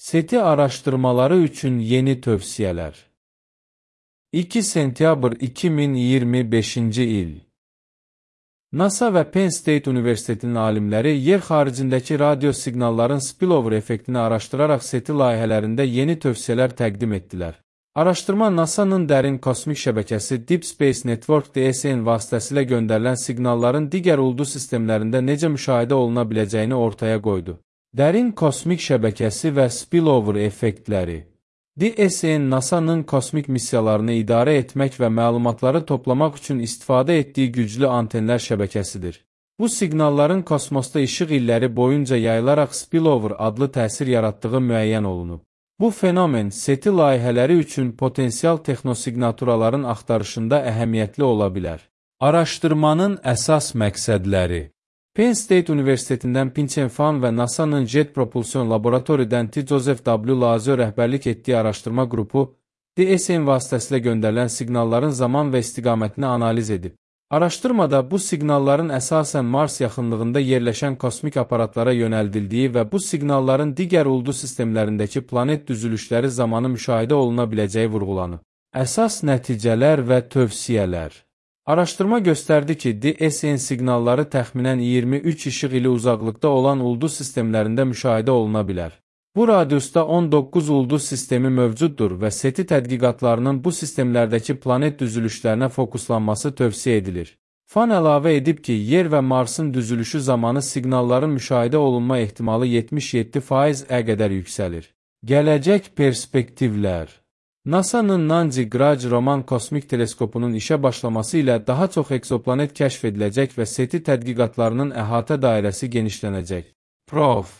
SETI araştırmaları üçün yeni tövsiyələr. 2 sentyabr 2025-ci il. NASA və Penn State Universitetinin alimləri yer xaricindəki radio siqnalların spillover effektini araşdıraraq SETI layihələrində yeni tövsiyələr təqdim etdilər. Araşdırma NASA-nın dərin kosmik şəbəkəsi Deep Space Network DSN vasitəsilə göndərilən siqnalların digər ulduz sistemlərində necə müşahidə oluna biləcəyini ortaya qoydu. Dərin kosmik şəbəkəsi və spillover effektləri. DSN NASA-nın kosmik missiyalarını idarə etmək və məlumatları toplamaq üçün istifadə etdiyi güclü antenlər şəbəkəsidir. Bu siqnalların kosmosda işıq illəri boyunca yayılaraq spillover adlı təsir yaratdığı müəyyən olunub. Bu fenomen SETI layihələri üçün potensial texnosiqnaturaların axtarışında əhəmiyyətli ola bilər. Araşdırmanın əsas məqsədləri. Penn State Universitetindən Ping-Cheng Fan və NASA-nın Jet Propulsion Laboratoriyadan T. Joseph W. Lazio rəhbərlik etdiyi araşdırma qrupu DSN vasitəsilə göndərilən siqnalların zaman və istiqamətini analiz edib. Araşdırmada bu siqnalların əsasən Mars yaxınlığında yerləşən kosmik aparatlara yönəldildiyi və bu siqnalların digər ulduz sistemlərindəki planet düzülüşləri zamanı müşahidə oluna biləcəyi vurğulanıb. Əsas nəticələr və tövsiyələr. Araşdırma göstərdi ki, DSN siqnalları təxminən 23 işıq ili uzaqlıqda olan ulduz sistemlərində müşahidə oluna bilər. Bu radiusda 19 ulduz sistemi mövcuddur və SETI tədqiqatlarının bu sistemlərdəki planet düzülüşlərinə fokuslanması tövsiyə edilir. Fan əlavə edib ki, Yer və Marsın düzülüşü zamanı siqnalların müşahidə olunma ehtimalı 77%-ə qədər yüksəlir. Gələcək perspektivlər. NASA-nın Nancy Grace Roman kosmik teleskopunun işə başlaması ilə daha çox eksoplanet kəşf ediləcək və SETI tədqiqatlarının əhatə dairəsi genişlənəcək. Prof.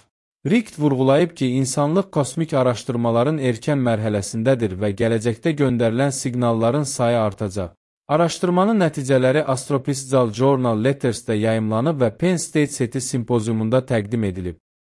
Richt vurğulayıb ki, insanlıq kosmik araşdırmaların erkən mərhələsindədir və gələcəkdə göndərilən siqnalların sayı artacaq. Araşdırmanın nəticələri Astrophysical Journal Letters'də yayımlanıb və Penn State SETI simpoziumunda təqdim edilib.